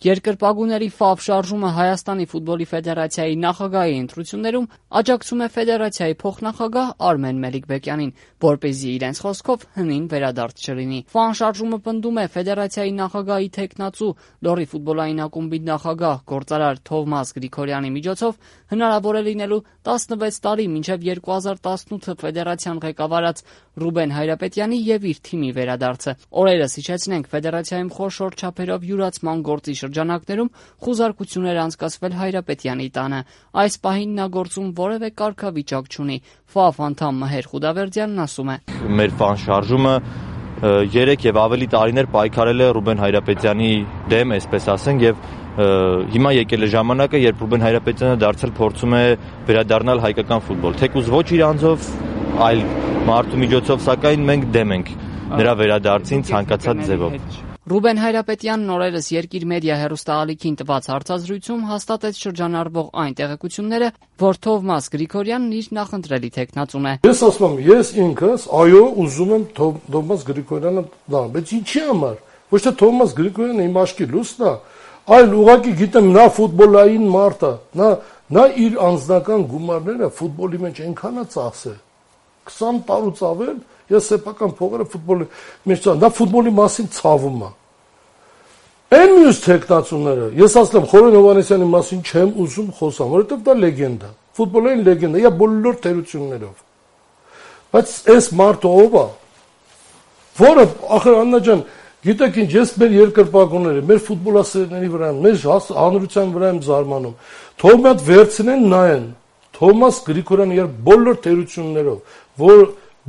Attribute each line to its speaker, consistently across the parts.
Speaker 1: Երկրպագուների Ֆավ շարժումը Հայաստանի ֆուտբոլի ֆեդերացիայի նախագահի ընտրություններում աջակցում է ֆեդերացիայի փոխնախագահ Արմեն Մելիքբեկյանին, որպեսզի իրենց խոսքով հնին վերադարձ չլինի։ Ֆան շարժումը պնդում է ֆեդերացիայի նախագահի թեկնածու Լոռի ֆուտբոլային ակումբի նախագահ գործարար Թովմաս Գրիգորյանի միջոցով հնարավոր է լինելու 16 տարի մինչև 2018 ֆեդերացիան ղեկավարած Ռուբեն Հայրապետյանի եւ իր թիմի վերադարձը։ Օրերս հիշեցնենք, ֆեդերացիայում խոշոր չափերով յուրացման գործի շրջանակներում խուզարկություն էր անցկացվել Հայրապետյանի տանը։ Այս պահին նա գործում որևէ կարգավիճակ չունի։ Ֆավ անդամ Մհեր Խուդավերդյանն ասում է.
Speaker 2: Մեր ֆան շարժումը 3 եւ ավելի տարիներ պայքարել է Ռուբեն Հայրապետյանի դեմ, այսպես ասենք, եւ հիմա եկել է ժամանակը, երբ Ռուբեն Հայրապետյանը դարձել փորձում է վերադառնալ հայկական ֆուտբոլ։ Թեկուզ ոչ իր անձով, այլ մարդու միջոցով, սակայն մենք դեմ ենք նրա վերադարձին ցանկացած ձևով։
Speaker 1: Ռուբեն Հայրապետյանն օրերս Երկիր մեդիա հեռուստաալիքին տված հարցազրույցում հաստատեց շրջանառվող այն տեղեկությունները, որ Թովմաս Գրիգորյանն իր նախընտրելի թեկնածուն է։
Speaker 3: Ես ասում եմ, ես ինքս, այո, ուզում եմ Թովմաս Գրիգորյանը դառնալ, բայց ինչի համար։ Ոչ թե Թովմաս Գրիգորյանը իմ աչքի լույսն է, այլ ուղղակի գիտեմ նա ֆուտբոլային մարդ է, նա իր անձնական գումարները ֆուտբոլի մեջ այնքան է ծախսել։ 20 տարուց ավել ես սեփական փողերը ֆուտբոլի մեջ նա ֆուտբոլի մասին ցավում է։ Այն մյուս թեկնածուները, ես ասեմ Խորեն Հովհաննիսյանի մասին չեմ ուզում խոսամ, որովհետև դա լեգենդ է, ֆուտբոլային լեգենդ է, բոլոր թերություններով։ Բայց այս մարդը ով է, որը ախր Աննա ջան, գիտեք ինչ, ես մեր երկրպագուների, մեր ֆուտբոլասերների վրա, մեր հանրության վրա եմ զարմանում։ Թող մի հատ վերցնեն նայեն Թովմաս Գրիգորյանը իր բոլոր թերություններով, որ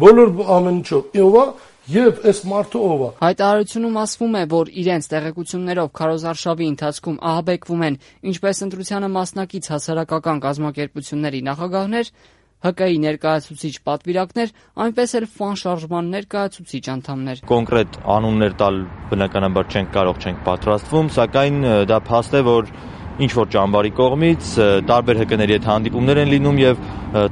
Speaker 3: բոլոր ամեն ինչով, ով է եւ այս մարդը ով է։
Speaker 1: Հայտարարությունում ասվում է, որ իրենց տեղեկություններով քարոզարշավի ընթացքում ահաբեկվում են ինչպես ընտրությանը մասնակից հասարակական կազմակերպությունների նախագահներ, ՀԿ-ի ներկայացուցիչ պատվիրակներ, այնպես էլ ֆան շարժման ներկայացուցիչ անդամներ։
Speaker 2: Կոնկրետ անուններ տալ բնականաբար չենք պատրաստվում, սակայն դա փաստ է, որ ինչ որ ճամբարի կողմից տարբեր ՀԿ-ների հետ հանդիպումներ են լինում եւ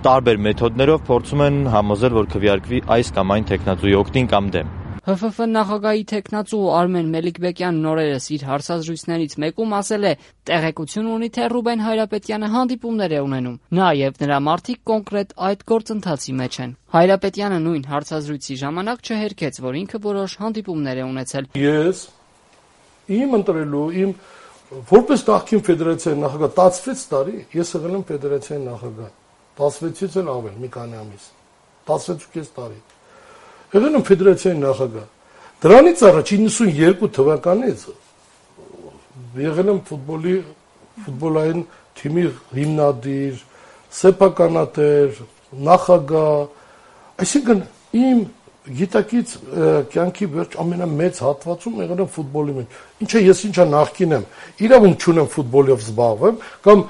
Speaker 2: տարբեր մեթոդներով փորձում են համոզել, որ քվեարկվի այս կամ այն թեկնածուի օգտին կամ դեմ։
Speaker 1: ՀՖՖ նախագահի թեկնածու Արմեն Մելիքբեկյանն օրերս իր հարցազրույցներից մեկում ասել է, տեղեկություն ունի, թե Ռուբեն Հայրապետյանը հանդիպումներ է ունենում։ Նա եւ նրա մարդիկ կոնկրետ այդ գործընթացի մեջ են։ Հայրապետյանը նույն հարցազրույցի ժամանակ չհերքեց, որ ինքը որոշ հանդիպումներ է ունեցել։
Speaker 3: Ես իմ ընտրելու որպես նախկին ֆեդերացիայի նախագահ 16 տարի ես եղել եմ ֆեդերացիայի նախագահ 16-ից էլ ավել մի քանի ամիս 16.5 տարի եղել եմ ֆեդերացիայի նախագահ դրանից առաջ 92 թվականից եղել եմ ֆուտբոլային թիմի հիմնադիր սեփականատեր նախագահ այսինքն իմ գիտակից կյանքի վերջ ամենամեծ հատվածում եղել եմ ֆուտբոլի մեջ։ Ինչը ես ինչա նախկին եմ, իրավունք չունեմ ֆուտբոլով զբաղվեմ, կամ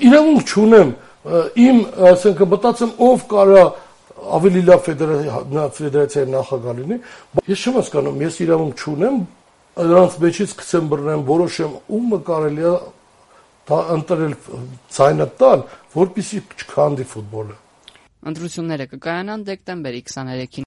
Speaker 3: իրավունք չունեմ իմ, ասենք, մտածեմ ով կարա ավելի լավ ֆեդերացիայի նախագահ լինի։ Ես չեմ հասկանում, ես իրավունք չունեմ նրանց մեջից գցեմ բռնեմ, որոշեմ ումը կարելի է ընտրել ցայնը տալ, որպեսզի չքանդի ֆուտբոլը։
Speaker 1: Ընտրությունները կկայանան դեկտեմբերի 23-ին։